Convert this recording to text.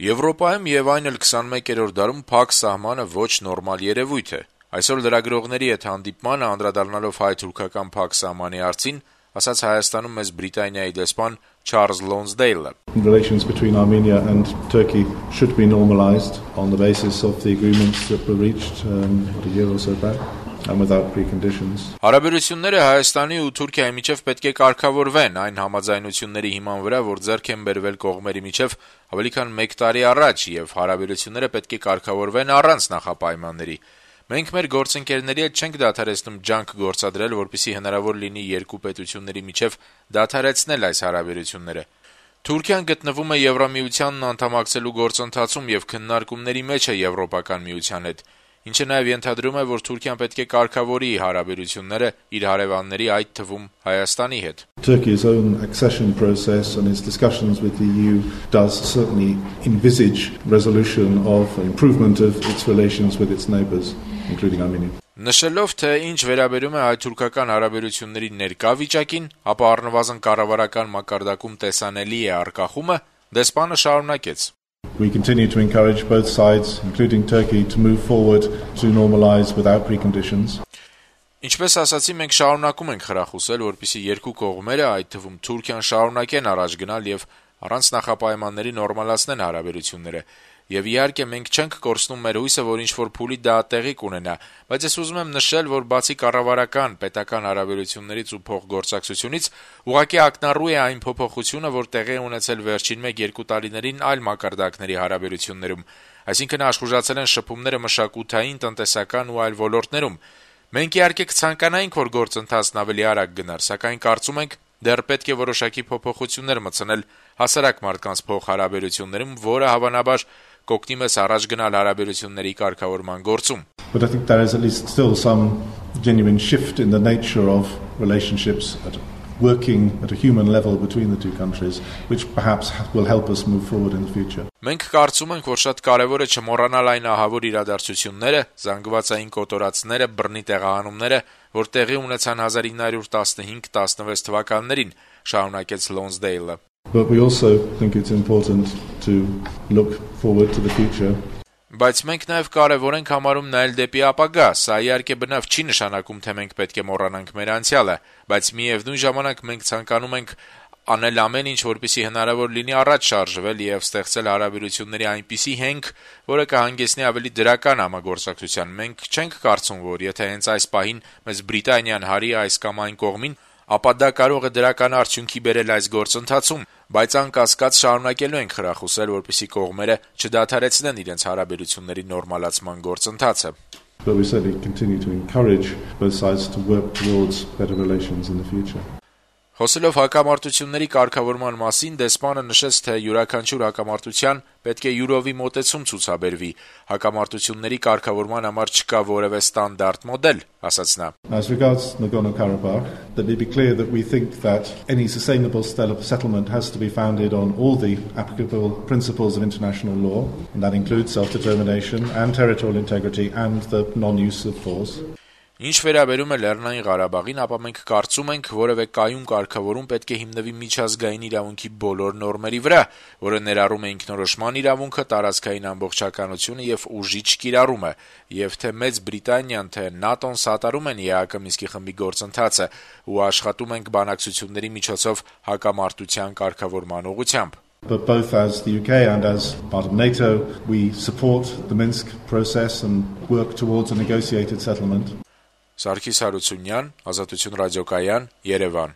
Եվրոպայում եւ այն էլ 21-րդ դարում փակ սահմանը ոչ նորմալ երևույթ է։ Այսօր լրագրողների հետ հանդիպմանը անդրադառնալով հայ-թուրքական փակ սահմանի հարցին, ասաց Հայաստանում մեծ Բրիտանիայի դեսպան Չարլզ Լոնսդեյլը. Relations between Armenia and Turkey should be normalized on the basis of the agreements that were reached a year or so back. And without preconditions. Հարաբերությունները Հայաստանի ու Թուրքիայի միջև պետք է կարգավորվեն այն համաձայնությունների հիման վրա, որ ձեռք են բերվել կողմերի միջև ավելի քան 1 տարի առաջ, եւ հարաբերությունները պետք է կարգավորվեն առանց նախապայմանների։ Մենք մեր գործընկերների հետ չենք դադարեցնում ջանք գործադրել, որպեսզի հնարավոր լինի երկու պետությունների միջև դադարեցնել այս հարաբերությունները։ Թուրքիան գտնվում է Եվրամիությանն անդամակցելու գործընթացում եւ քննարկումների մեջ է Եվրոպական միության հետ։ Ինչը նաև ենթադրում է, որ Թուրքիան պետք է կարգավորի հարաբերությունները իր հարևանների, այդ թվում Հայաստանի հետ։ Turkey's own accession process and its discussions with the EU does certainly envisage resolution of improvement of its relations with its neighbours, including Armenia. Նշելով, թե ինչ վերաբերում է հայ-թուրքական հարաբերությունների ներկա վիճակին, ապա առնվազն կառավարական մակարդակում տեսանելի է առկախումը, դեսպանը շարունակեց. We continue to encourage both sides, including Turkey, to move forward to normalize without preconditions. Ինչպես ասացի, մենք շարունակում ենք խրախուսել, որպեսզի երկու կողմերը, այդ թվում Թուրքիան, շարունակեն առաջ գնալ եւ առանց նախապայմանների նորմալացնեն հարաբերությունները։ Եվ իհարկե մենք չենք կորցնում մեր հույսը, որ ինչ-որ փուլի դա տեղի կունենա, բայց ես ուզում եմ նշել, որ բացի կառավարական, պետական հարաբերություններից ու փոխգործակցությունից, ուղղակի ակնառու է այն փոփոխությունը, որ տեղի է ունեցել վերջին 1-2 տարիներին այլ մակարդակների հարաբերություններում, այսինքն աշխուժացել են շփումները մշակութային, տնտեսական ու այլ ոլորտներում։ Մենք իհարկե կցանկանայինք, որ գործընթացն ավելի արագ գնար, սակայն կարծում ենք, դեռ պետք է որոշակի փոփոխություններ մտցնել հասարակ մարդկանց փոխհարաբերություններում, որը հավանաբար կօգնի մեզ առաջ գնալ հարաբերությունների կարգավորման գործում։ But I think there is at least still some genuine shift in the nature of relationships working at a human level between the two countries, which perhaps will help us move forward in the future. Մենք կարծում ենք, որ շատ կարևոր է չմոռանալ այն ահավոր իրադարձությունները, զանգվածային կոտորածները, բռնի տեղահանումները, որ տեղի ունեցան 1915-16 թվականներին, շարունակեց Լոնսդեյլը։ But we also think it's important to look forward to the future. Բայց մենք նաև կարևոր ենք համարում նայել դեպի ապագա, սա իհարկե բնավ չի նշանակում, թե մենք պետք է մոռանանք մեր անցյալը, բայց միևնույն ժամանակ մենք ցանկանում ենք անել ամեն ինչ, որպեսզի հնարավոր լինի առաջ շարժվել եւ ստեղծել հարաբերությունների այնպիսի հենք, որը կհանգեցնի ավելի դրական համագործակցության։ Մենք չենք կարծում, որ եթե հենց այս պահին մեզ Բրիտանիան հարի այս կամ այն կողմին, ապա դա կարող է դրական արդյունքի բերել այս գործընթացում, բայց անկասկած շարունակելու ենք խրախուսել, որպեսզի կողմերը չդադարեցնեն իրենց հարաբերությունների նորմալացման գործընթացը։ But we certainly continue to encourage both sides to work towards better relations in the future. Խոսելով հակամարտությունների կարգավորման մասին, դեսպանը նշեց, թե յուրաքանչյուր հակամարտության պետք է յուրովի մոտեցում ցուցաբերվի։ Հակամարտությունների կարգավորման համար չկա որևէ ստանդարտ մոդել, ասաց նա։ As regards Nagorno-Karabakh, let me be clear that we think that any sustainable settlement has to be founded on all the applicable principles of international law, and that includes self-determination and territorial integrity and the non-use of force. Ինչ վերաբերում է Լեռնային Ղարաբաղին, ապա մենք կարծում ենք, որևէ կայուն կարգավորում պետք է հիմնվի միջազգային իրավունքի բոլոր նորմերի վրա, որը ներառում է ինքնորոշման իրավունքը, տարածքային ամբողջականությունը եւ ուժի չկիրառումը, եւ թե Մեծ Բրիտանիան, թե ՆԱՏՕ-ն սատարում են ԵԱՀԿ Մինսկի խմբի գործընթացը ու աշխատում ենք բանակցությունների միջոցով հակամարտության կարգավորման ուղղությամբ։ But both as the UK and as part of NATO, we support the Minsk process and work towards a negotiated settlement. Սարգիս Հարությունյան, Ազատություն ռադիոկայան, Երևան։